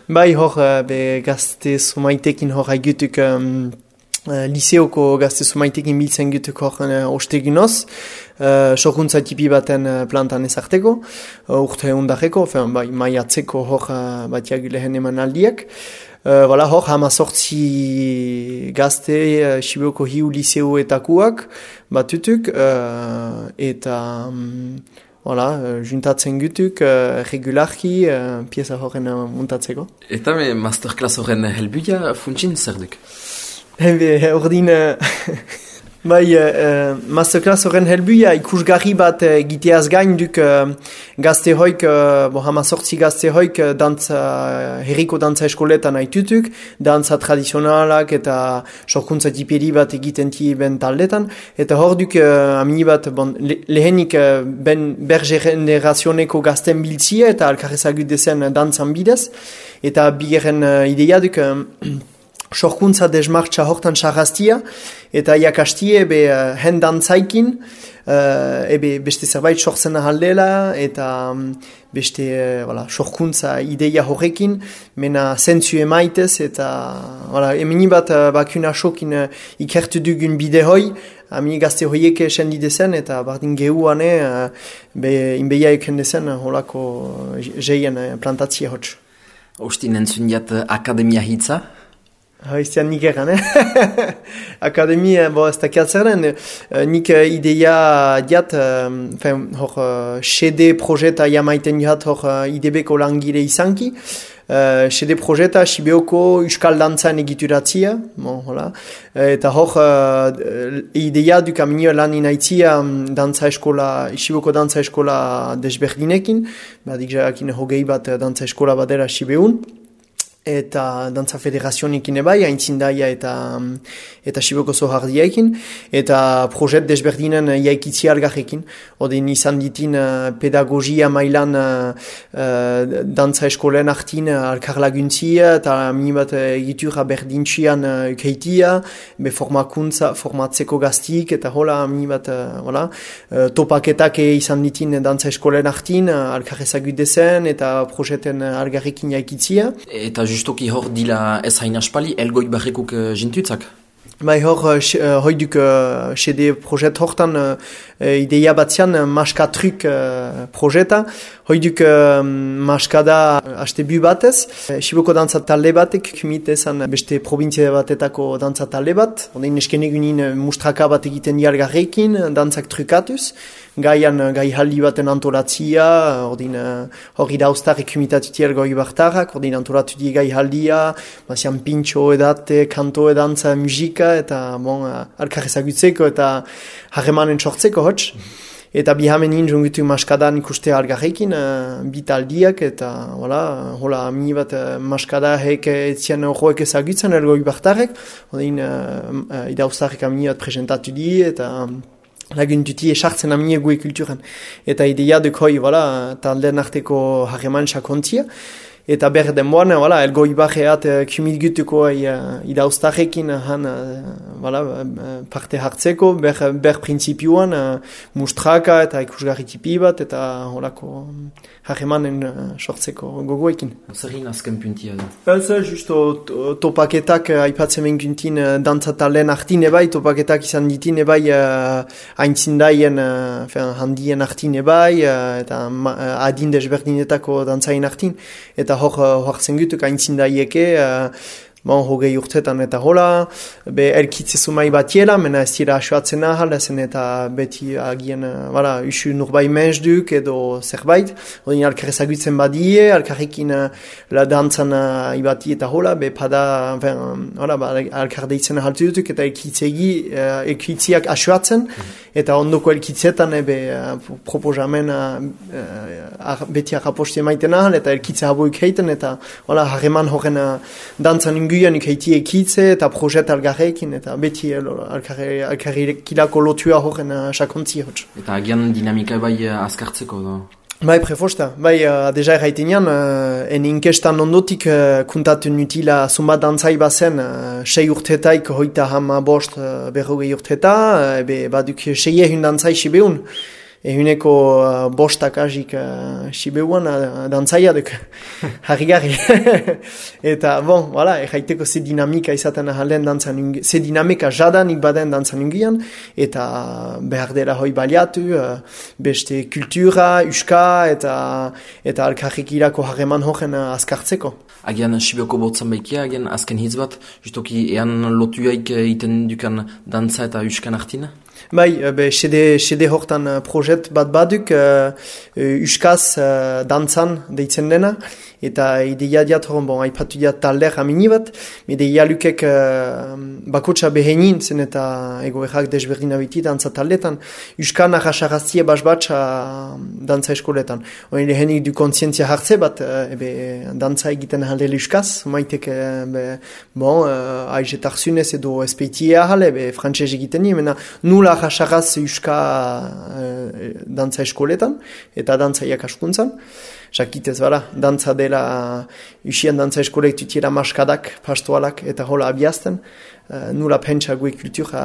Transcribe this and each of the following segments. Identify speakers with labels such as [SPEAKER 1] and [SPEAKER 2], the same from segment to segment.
[SPEAKER 1] Bai, hor, be gazte zumaitekin hor haigutuk liseoko gazte zumaitekin biltzen gutuk hor osteginoz, sokuntza tipi baten plantan ezarteko, urte hundareko, bai, maiatzeko hor batiak lehen eman aldiak. Hor, 18 gazte Sibioko hiu liseoetakuak batutuk, eta juntatzen gutuk regularki pieza horren muntatzeko.
[SPEAKER 2] Eta masterclass horren helbuia funtsin zer duk?
[SPEAKER 1] Ordin, masterclass horren helbuia ikusgarri bat giteaz gain duk gazte hoik, 18 gazte hoik herriko dantza eskoletan haitutuk, dantza tradizionalak eta sorkuntza tiperi bat egiten ben taldetan, eta hor duk amini bat lehenik bergenerazioneko gazten biltzia eta alkarrezagut dezen dantzan bidez, eta bigarren ideia duk sorkuntza desmartza hortan sarrastia, eta jakastie hen dantzaikin, beste zerbait sortzen ahaldela, eta beste sorkuntza ideia horrekin, mena zentzu emaitez, eta emini bat bakuna sokin ikertu dugun bide hoi, amini gazte hoiek esendi dezen, eta bardin gehuane, inbeia eken dezen, holako jeien plantatzia hotz.
[SPEAKER 2] Ostin entzun diat akademia hitza?
[SPEAKER 1] Iztean nik egan, Akademia, ez dakiat zer den, nik ideia diat, hor, CD projeta jamaiten diat hor IDB-ko langile izanki, CD projeta Sibioko Euskal Dantzan egituratzia, eta hor ideia duk aminio lan inaitzia dantza eskola, Siboko dantza eskola desberdinekin, badik jakin hogei bat dantza eskola badera Sibeun, eta dantza federazionekin ebai, haintzindaia eta Siboko zohardiaekin, eta projet desberdinen jaikitzi algarrekin. Odin izan ditin pedagogia mailan dantza eskolen artin alkarlaguntzia, eta minibat egitura berdintxian ukeitia, formatzeko gaztik, eta hola minibat topaketak izan ditin dantza eskolen artin, alkarrezagut dezen, eta projeten algarrekin jaikitzia.
[SPEAKER 2] Eta justoki hor dila ez hain aspali, elgoi barrikuk jintutzak?
[SPEAKER 1] Bai hor, hoiduk CD projet hortan ideia batzian maskatruk projeta, hoiduk maskada hastebu batez, Siboko dantza talde batek kumitezan beste provintzia batetako dantza talde bat, odein eskenegunin mustraka bat egiten dialgarrekin, dantzak trukatuz, gai haldi baten antolatzia, hori dauztarek kumitatutiel goi bartarrak, ordin antolatu di gai haldia, bazian pintxo edate, kanto edantza, musika, eta alkarrezagutzeko eta harremanen sortzeko hotz. Eta bihamenin jungutu maskadan ikuste algarrekin, bitaldiak, eta hola amini bat maskada hek etzien horrek ezagutzen elgoi bartarek, ordin idauztarek amini bat presentatu di, eta laguntuti esartzen amine gue kulturan. Eta ideia duk hoi, talden arteko harreman sakontzia. Eta denboan, elgoi barreat kumit gutuko idauztarrekin parte hartzeko, ber prinsipioan mustraka eta ikusgarri tipi bat, eta holako harremanen sortzeko gogoekin.
[SPEAKER 2] Zerrin azken puntia da?
[SPEAKER 1] Ez, justo topaketak aipatzen benguntin dantzatalen artin ebai, topaketak izan ditin ebai haintzindaien handien artin ebai, eta adin desberdinetako dantzain artin, eta hor zengutuk haintzindaieke, hogei urtetan eta hola, elkitze sumai batiela, mena ez dira asuatzen ahal, ezen eta beti agien, usu nurbai menzduk edo zerbait, odin alkarrezagutzen badie, alkarrekin la dantzan ibati eta hola, pada, alkardeitzen ahaltu dutuk, eta elkitziak asuatzen, eta ondoko elkitzetan proposamen beti arraposti emaiten ahal, eta elkitze haboik heiten, eta harreman horren dantzan inguian ikaiti ekitze eta projet algarrekin, eta beti alkarrekilako lotua horren sakontzi hotz.
[SPEAKER 2] Eta agian dinamika bai azkartzeko da?
[SPEAKER 1] Bai, prefosta. Bai, deja erraitenean, en inkestan ondotik kuntatu nutila zumbat dantzai bazen 6 urtetaik hoita hama bost berrogei urteta, baduk 6 dantzai sibeun. ehuneko bostak hasik Sibeuan dantzaia duk, harri-garri. Eta, bon, voilà, jaiteko ze dinamika izaten ahalen dantzan ungian, ze dinamika jadanik baden dantzan ungian, eta behar dela hoi baliatu, beste kultura, uska, eta alkarrik irako harreman horen azkartzeko.
[SPEAKER 2] Agian Sibioko botzan baikia, agian azken hitz bat, justoki ean lotuaik iten dukan dantza eta uskan artina?
[SPEAKER 1] Bai, sede hortan projet bat baduk, uskaz dantzan deitzen dena, eta ideia diat horon, bon, aipatu diat talder amini bat, ideia lukek bakotsa behenin zen eta ego errak desberdin abiti dantza taldetan, uskan arrasaraztie basbatsa dantza eskoletan. Hori lehenik du kontzientzia hartze bat, dantza egiten ahaldele uskaz, maitek, bon, aizetarsunez edo espeitia ahale, frantxez egiten ni, mena nula arrasaraz uska dantza eskoletan, eta dantza iakaskuntzan. Jakitez, bera, dantza dela, usien dantza eskolek tutiera maskadak, pastoalak, eta hola abiazten. Nula pentsa gue kultura,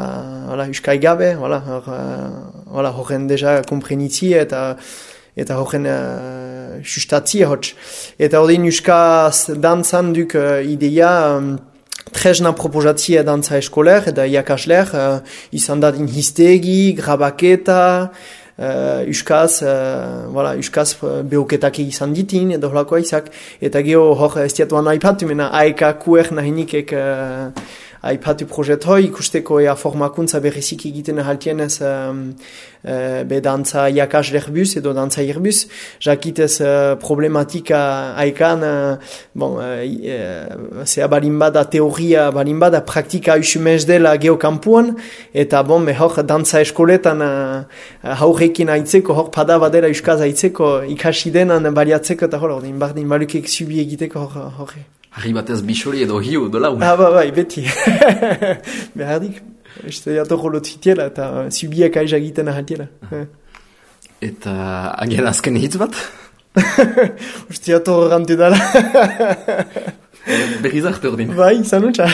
[SPEAKER 1] uskai gabe, horren deja komprenitzi eta horren sustatzi hotz. Eta horrein uskaz dantzan duk ideia, tresna proposatzia dantza eskoler, eta iakasler, izan dadin histegi, grabaketa, uskaz behoketak izan ditin, edo holako aizak, eta geho hor estiatuan aipatu, mena aeka kuer nahinikek aipatu projet hoi, ikusteko formakuntza berrizik egiten haltienez dantza iakasler bus edo dantza irbus, jakitez problematika aikan, zea balinbada teoria, balinbada praktika usumez dela geokampuan, eta hor dantza eskoletan haurrekin aitzeko, hor pada badera uskaz aitzeko, ikasi denan baliatzeko, eta hor, bardin balukek zubi egiteko hor.
[SPEAKER 2] Harri batez bisori edo hiu, dola?
[SPEAKER 1] Bai, beti. Behardik. Este jatorro lotzitiela eta zubiak aiza egiten ahaltiela.
[SPEAKER 2] Eta agian azken hitz bat?
[SPEAKER 1] Uste jatorro gantu dala.
[SPEAKER 2] Berrizarte ordin.
[SPEAKER 1] Bai, zanutxa.